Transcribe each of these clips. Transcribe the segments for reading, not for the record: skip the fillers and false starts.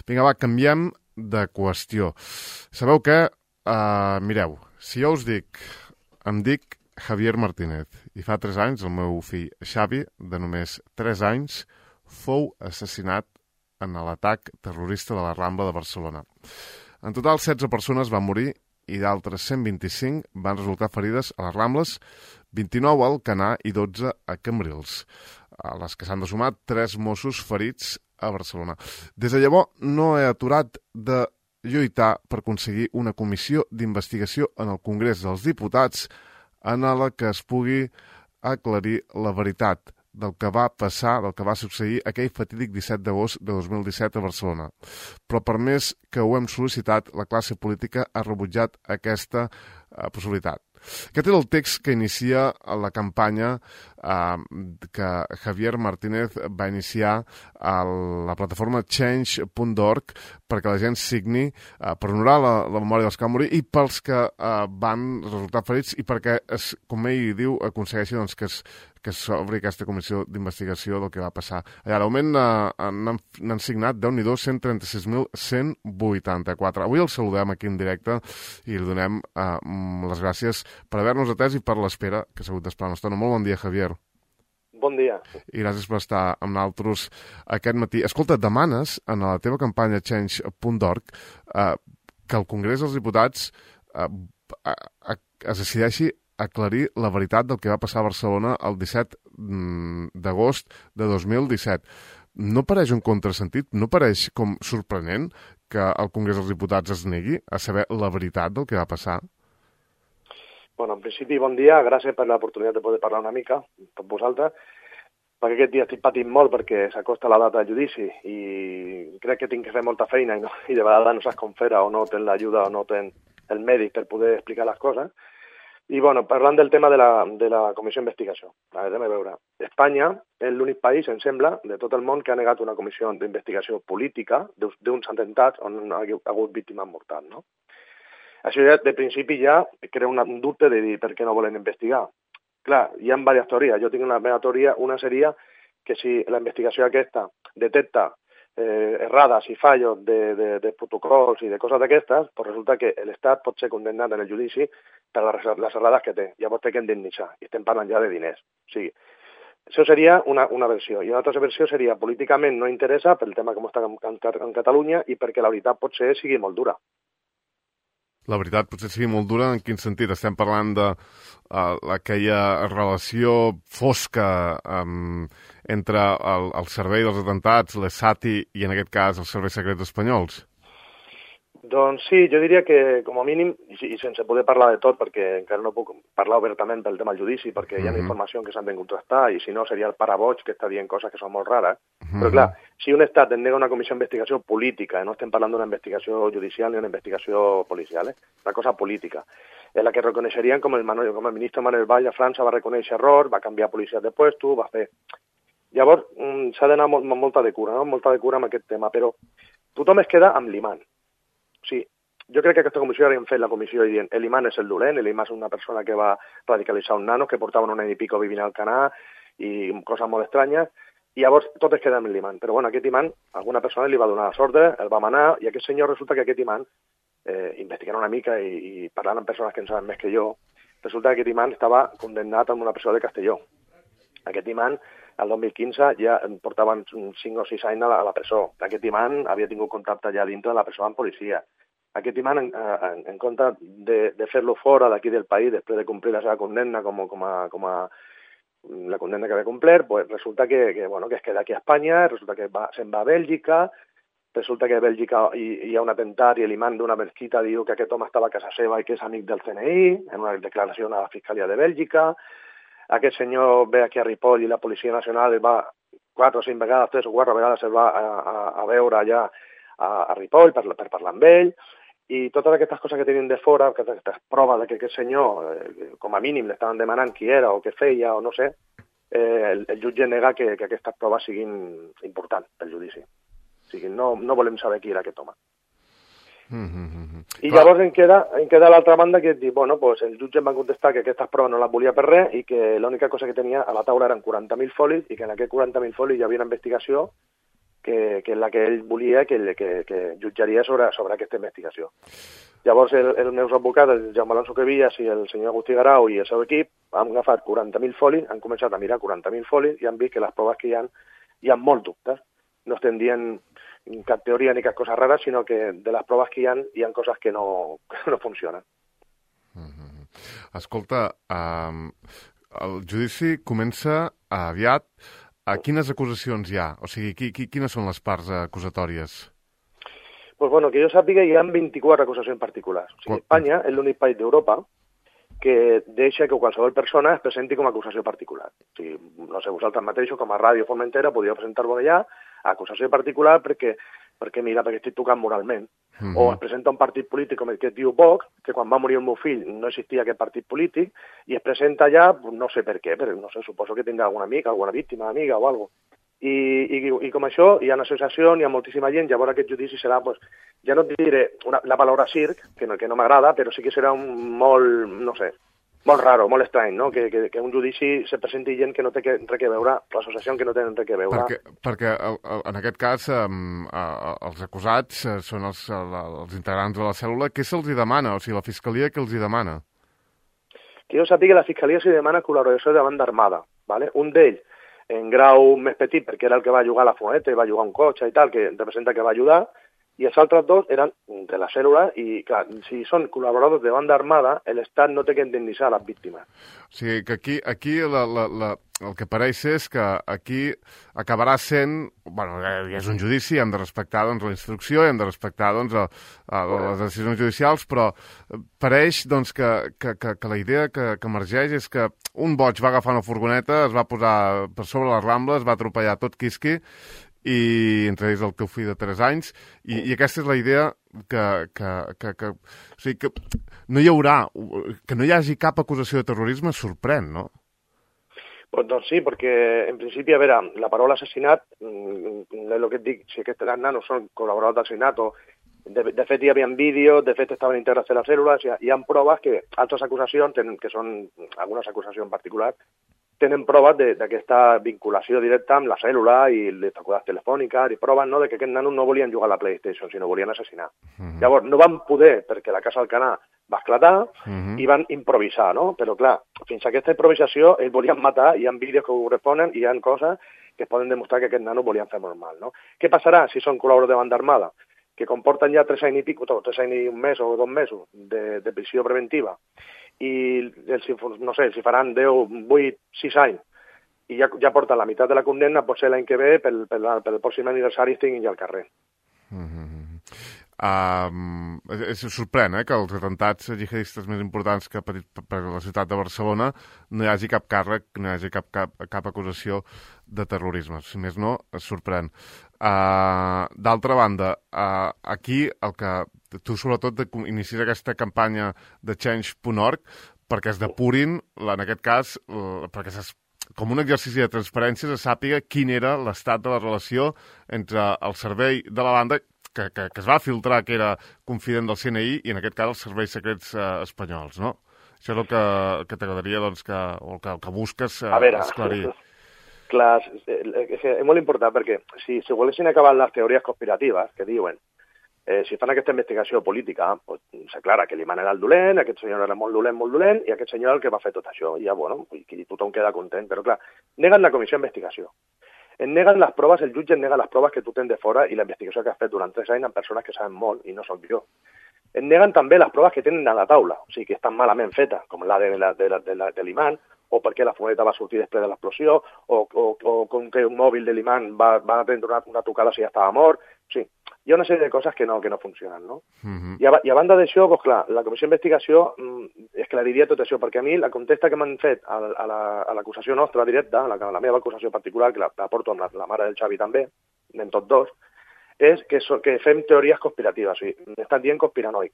Vinga, va, canviem de qüestió. Sabeu què? Mireu, si jo us dic, em dic Javier Martínez, i fa 3 anys el meu fill Xavi, de només 3 anys, fou assassinat en l'atac terrorista de la Rambla de Barcelona. En total, 16 persones van morir i d'altres 125 van resultar ferides a les Rambles, 29 a Alcanar i 12 a Cambrils, a les que s'han de sumar 3 Mossos ferits a Barcelona. Des de llavors no he aturat de lluitar per aconseguir una comissió d'investigació en el Congrés dels Diputats en la que es pugui aclarir la veritat del que va passar, del que va succeir aquell fatídic 17 d'agost de 2017 a Barcelona. Però per més que ho hem sol·licitat, la classe política ha rebutjat aquesta possibilitat. Aquest era el text que inicia la campanya que Javier Martínez va iniciar a la plataforma change.org perquè la gent signi per honorar la memòria dels que van morir i pels que van resultar ferits i perquè, com ell diu, aconsegueixi doncs, que s'obri aquesta comissió d'investigació del que va passar. Allà, de moment n'han signat, Déu-n'hi-do, 136.184. Avui el saludem aquí en directe i li donem les gràcies per haver-nos atès i per l'espera que s'ha hagut d'esperar una estona. Molt bon dia, Javier. Bon dia. I gràcies per estar amb nosaltres aquest matí. Escolta, demanes en la teva campanya change.org que el Congrés dels Diputats es decideixi aclarir la veritat del que va passar a Barcelona el 17 d'agost de 2017. No pareix un contrasentit? No pareix com sorprenent que el Congrés dels Diputats es negui a saber la veritat del que va passar? Bueno, en principi, bon dia. Gràcies per l'oportunitat de poder parlar una mica amb vosaltres, perquè aquest dia estic patint molt perquè s'acosta la data del judici i crec que tinc que fer molta feina i de vegades no saps com fer-ho o no tens l'ajuda o no tens el mèdic per poder explicar les coses. I, bueno, parlant del tema de la comissió d'investigació. A veure, Espanya és l'únic país, em sembla, de tot el món que ha negat una comissió d'investigació política d'uns atemptats on ha hagut víctimes mortals, no? Això ja, de principi, ja crea un dubte de dir per què no volen investigar. Clar, hi ha diverses teories. Jo tinc una meva teoria. Una seria que si la investigació aquesta detecta errades i fallos de protocols i de coses d'aquestes, pues resulta que l'Estat pot ser condemnat en el judici per les errades que té. Llavors té que indemnitzar. I estem parlant ja de diners. O sigui, això seria una versió. I una altra versió seria políticament no interessa pel tema com està en Catalunya i perquè la veritat potser sigui molt dura. La veritat potser sigui molt dura, en quin sentit? Estem parlant d'aquella relació fosca entre el servei dels atentats, l'ESATI i en aquest cas els serveis secrets espanyols? Doncs sí, jo diria que com a mínim, i sense poder parlar de tot perquè encara no puc parlar obertament pel tema del judici perquè hi ha informació que s'han de contrastar i si no seria el paraboig que està dient coses que són molt rares. Però clar, si un estat es nega una comissió d'investigació política, no estem parlant d'una investigació judicial ni una investigació policial, una cosa política, en la que reconeixerien com el ministre Manuel Valls a França va reconèixer error, va canviar policies de puesto, va fer... Llavors s'ha d'anar amb molta de cura, no? Molta de cura amb aquest tema, però tothom es queda amb l'imant. Sí, jo crec que aquesta comissió haurien fet la comissió i dient l'imam és el dolent, l'imam és una persona que va radicalitzar un nano, que portaven un any i pico vivint al Canà i coses molt estranyes, i llavors tot es queda amb l'imam. Però bueno, aquest imam, alguna persona li va donar les ordres, el va manar, i aquest senyor resulta que aquest imam, investigant una mica i parlant amb persones que en saben més que jo, resulta que aquest imam estava condemnat amb una presó de Castelló. Aquest imam, el 2015, ja portaven 5 o 6 anys a la presó. Aquest imam havia tingut contacte ja dintre de la presó amb policia. Aquest imam, en compte de fer-lo fora d'aquí del país després de complir la seva condemna com a la condemna que havia complert, pues resulta que es queda aquí a Espanya, resulta que se'n va a Bèlgica, resulta que a Bèlgica hi ha un atemptat i l'imam d'una mesquita diu que aquest home estava a casa seva i que és amic del CNI, en una declaració a la Fiscalia de Bèlgica. Aquest senyor ve aquí a Ripoll i la Policia Nacional va 4 o 5 vegades, 3 o 4 vegades el va a veure allà a Ripoll per parlar amb ell, i totes aquestes coses que tenien de fora, aquestes proves que aquest senyor, com a mínim, l'estaven demanant qui era o què feia o no sé, el jutge nega que aquestes proves siguin importants pel judici. O sigui, no volem saber qui era aquest home. I llavors en queda l'altra banda que diu, bueno, pues el jutge em va contestar que aquestes proves no les volia per res i que l'única cosa que tenia a la taula eren 40.000 folis i que en aquests 40.000 folis hi havia una investigació que és la que ell volia que jutjaria sobre aquesta investigació. Llavors, els meus advocats, el Jaume Alonso Quevillas i el senyor Agustí Garau i el seu equip, han agafat 40.000 folis, han començat a mirar 40.000 folis i han vist que les proves que hi ha molts dubtes. No estem dient cap teoria ni cap cosa rara, sinó que de les proves que hi ha coses que no funcionen. Escolta, el judici comença aviat. Quines acusacions hi ha? O sigui, quines són les parts acusatòries? Pues bueno, que jo sàpiga, hi ha 24 acusacions particulars. O sigui, Espanya és l'únic país d'Europa que deixa que qualsevol persona es presenti com a acusació particular. O sigui, no sé, vosaltres mateixos, com a Ràdio Formentera, podíeu presentar-vos allà a acusació particular perquè estic tocant moralment. O es presenta un partit polític com el que es diu Vox, que quan va morir el meu fill no existia aquest partit polític, i es presenta allà, no sé per què, però no sé, suposo que tindrà alguna amiga, alguna víctima, amiga o alguna cosa. I com això, hi ha una associació, hi ha moltíssima gent, llavors aquest judici serà, pues, ja no et diré la paraula circ, que no m'agrada, però sí que serà molt, no sé, molt raro, molt estrany, no? Que un judici se presenti gent que no té res a veure, l'associació que no tenen res a veure. Perquè en aquest cas els acusats són els integrants de la cèl·lula. Què se'ls demana? O sigui, la Fiscalia què els demana? Que jo sàpiga, la Fiscalia se demana col·laboració de banda armada, ¿vale? Un d'ells en grau més petit, perquè era el que va jugar a la furgoneta i va jugar un cotxe i tal, que representa que va ajudar, i els altres dos eren de la cèl·lula i, clar, si són col·laboradors de banda armada, l'Estat no té que indemnitzar les víctimes. O sigui, que aquí el que pareix és que aquí acabarà sent... Bueno, és un judici, hem de respectar doncs, la instrucció, hem de respectar doncs, les decisions judicials, però pareix doncs, que la idea que emergeix és que un boig va agafar una furgoneta, es va posar per sobre les Rambles, va atropellar tot quisqui, i entre ells el teu fill de 3 anys, i aquesta és la idea o sigui, que no hi haurà, que no hi hagi cap acusació de terrorisme sorprèn, no? Pues doncs sí, perquè en principi, a veure, la paraula assassinat, el que et dic, si aquests nanos són col·laboradors d'assassinat, de fet hi havia vídeos, de fet estaven integrats en la cèl·lula, hi ha proves que altres acusacions, que són algunes acusacions particulars, tenen proves d'aquesta vinculació directa amb la cèl·lula i les trucades telefòniques i proves no, de que aquests nanos no volien jugar a la PlayStation, sinó volien assassinar. Llavors, no van poder, perquè la Casa Alcanar va esclatar i van improvisar, no? Però, clar, fins a aquesta improvisació ells volien matar, hi ha vídeos que ho corresponen i hi ha coses que es poden demostrar que aquests nanos volien fer molt mal, no? Què passarà si són col·laboradors de banda armada? Que comporten ja 3 anys i pico, 3 anys i un mes o 2 mesos de prisió preventiva, i no sé, si faran 10, 8, 6 anys i ja porten la meitat de la condemna, potser l'any que ve pel pròxim aniversari estiguin ja al carrer. Sorprèn que els atentats jihadistes més importants que per la ciutat de Barcelona no hi hagi cap càrrec, no hi hagi cap acusació de terrorisme. Si més no, es sorprèn. D'altra banda, aquí el que tu sobretot inicies aquesta campanya de Change.org perquè es depurin, en aquest cas, perquè com un exercici de transparència se sàpiga quin era l'estat de la relació entre el servei de la banda que es va filtrar que era confident del CNI i en aquest cas els serveis secrets espanyols, no? Això és el que t'agradaria, doncs, o el que busques esclarir. Clar, és molt important perquè si volguessin acabar les teories conspiratives que diuen si fan aquesta investigació política, pues, s'aclara que l'imam era el dolent, aquest senyor era molt dolent, i aquest senyor el que va fer tot això. I ja, bueno, i tothom queda content. Però, clar, neguen la comissió d'investigació. Et neguen les proves, el jutge et nega les proves que tu tens de fora i la investigació que has fet durant 3 anys amb persones que saben molt, i no soc jo. Et neguen també les proves que tenen a la taula, o sigui, que estan malament fetes, com la de l'imam, o perquè la furgoneta va sortir després de l'explosió, o com que un mòbil de l'imam va prendre una trucada si ja estava mort. O sigui, hi ha una sèrie de coses que no funcionen, no? I a banda d'això, doncs clar, la comissió d'investigació esclariria tot això, perquè a mi la contesta que m'han fet a l'acusació nostra directa, a la meva acusació particular, que la porto amb la mare del Xavi també, en tots dos, és que fem teories conspiratives, o sigui, m'estan dient conspiranoic.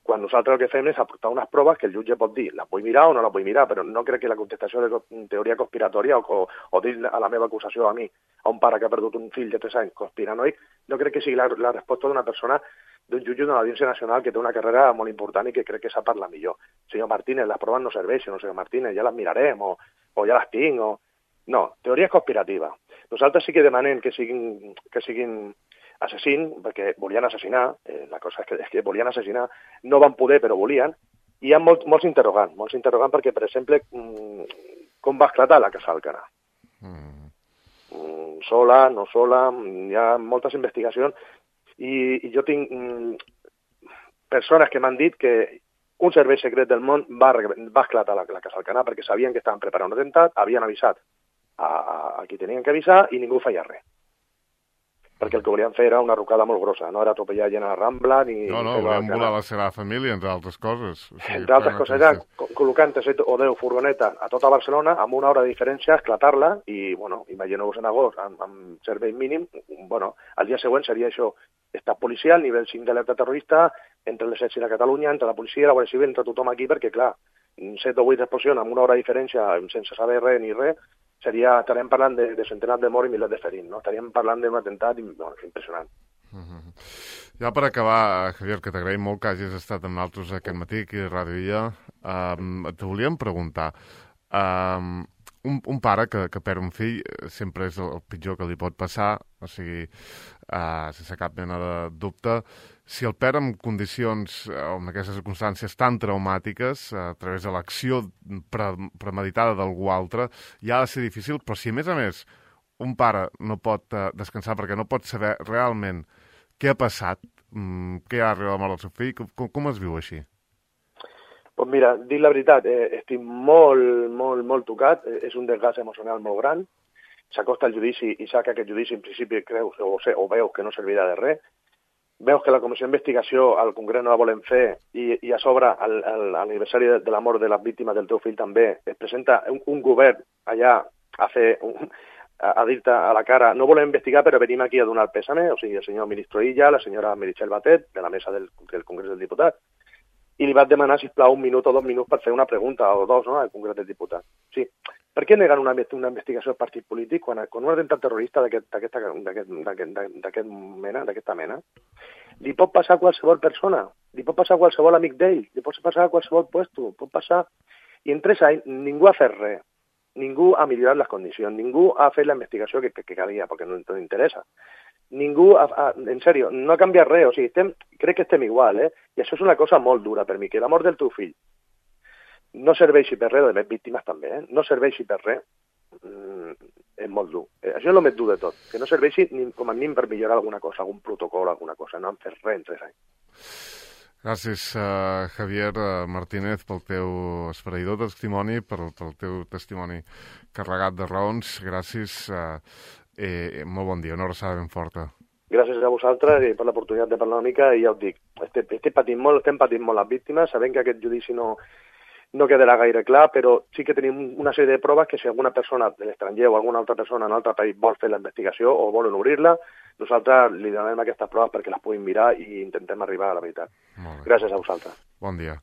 Quan nosaltres el que fem és aportar unes proves que el jutge pot dir, les vull mirar o no les vull mirar, però no crec que la contestació de teoria conspiratòria o dir a la meva acusació a mi, a un pare que ha perdut un fill de 3 anys conspiranoic, no crec que sigui la resposta d'una persona, d'un jutge d'una audiència nacional que té una carrera molt important i que crec que sap parlar millor. Senyor Martínez, les proves no serveixen, senyor Martínez, ja les mirarem, o ja les tinc, o... No, teoria conspirativa. Nosaltres sí que demanem que siguin assassins, perquè volien assassinar, la cosa és que volien assassinar, no van poder però volien, i hi ha molts interrogants perquè, per exemple, com va esclatar la Casa Alcanar? Sola, no sola, hi ha moltes investigacions, i jo tinc persones que m'han dit que un servei secret del món va esclatar la Casa Alcanar perquè sabien que estaven preparant un atemptat, havien avisat a qui tenien que avisar i ningú feia res. Perquè el que volien fer era una rucada molt grossa, no era atropellar gent a la Rambla ni... No, volien volar la seva família, entre altres coses. Entre altres coses, era col·locant 7 o 10 furgonetes a tota Barcelona amb una hora de diferència, esclatar-la i, bueno, imagineu-vos en agost, amb servei mínim, bueno, al dia següent seria això, estat policial, nivell 5 d'alerta terrorista, entre l'exèrcit de Catalunya, entre la policia, la Guàrdia Civil, entre tothom aquí, perquè, clar, 7 o 8 explosions amb una hora de diferència, sense saber res ni res, estaríem parlant de centenars de morts i milers de ferits, no? Estaríem parlant d'un atemptat impressionant. Ja per acabar, Javier, que t'agraïm molt que hagis estat amb nosaltres aquest matí aquí a Ràdio Illa, te volíem preguntar, un pare que perd un fill sempre és el pitjor que li pot passar, o sigui, sense cap mena de dubte. Si el perd en condicions o en aquestes circumstàncies tan traumàtiques, a través de l'acció premeditada d'algú altre, ja ha de ser difícil, però si a més un pare no pot descansar perquè no pot saber realment què ha passat, què ha arribat a la mort del seu fill, com es viu així? Doncs mira, dic la veritat, estic molt tocat, és un desgast emocional molt gran, s'acosta el judici i sap que aquest judici en principi creus o veus que no servirà de res, veus que la comissió d'investigació al Congrés no la volen fer i a sobre l'aniversari de la mort de les víctimes del teu fill també es presenta un govern allà a dir-te a la cara no volem investigar però venim aquí a donar el pèsame, o sigui, el senyor ministre Illa, la senyora Meritxell Batet, de la mesa del Congrés dels Diputats, i li vaig demanar, sisplau, 1 minut o 2 minuts per fer una pregunta o 2, no?, al Congrés dels Diputats. Sí. Per què neguen una investigació al partit polític quan un atemptat terrorista d'aquesta mena li pot passar a qualsevol persona, li pot passar a qualsevol amic d'ell, li pot passar a qualsevol puesto, pot passar... I en 3 anys ningú ha fet res, ningú ha millorat les condicions, ningú ha fet la investigació que calia, perquè no interessa. Ningú, en sèrio, no ha canviat res, o sigui, crec que estem igual, I això és una cosa molt dura per mi, que la mort del teu fill no serveixi per res, de les víctimes també, no serveixi per res, és molt dur. Això és el més dur de tot, que no serveixi com a mínim per millorar alguna cosa, algun protocol, alguna cosa, no han fet res en 3 anys. Gràcies, Javier Martínez, pel teu esfereïdor testimoni, pel teu testimoni carregat de raons. Gràcies. Molt bon dia, una abraçada ben forta. Gràcies a vosaltres i per l'oportunitat de parlar una mica, i ja us dic, estem patint molt les víctimes, sabem que aquest judici no quedarà gaire clar, però sí que tenim una sèrie de proves que si alguna persona de l'estranger o alguna altra persona en un altre país vol fer la investigació o volen obrir-la, nosaltres li donem aquestes proves perquè les puguin mirar i intentem arribar a la veritat. Gràcies a vosaltres. Bon dia.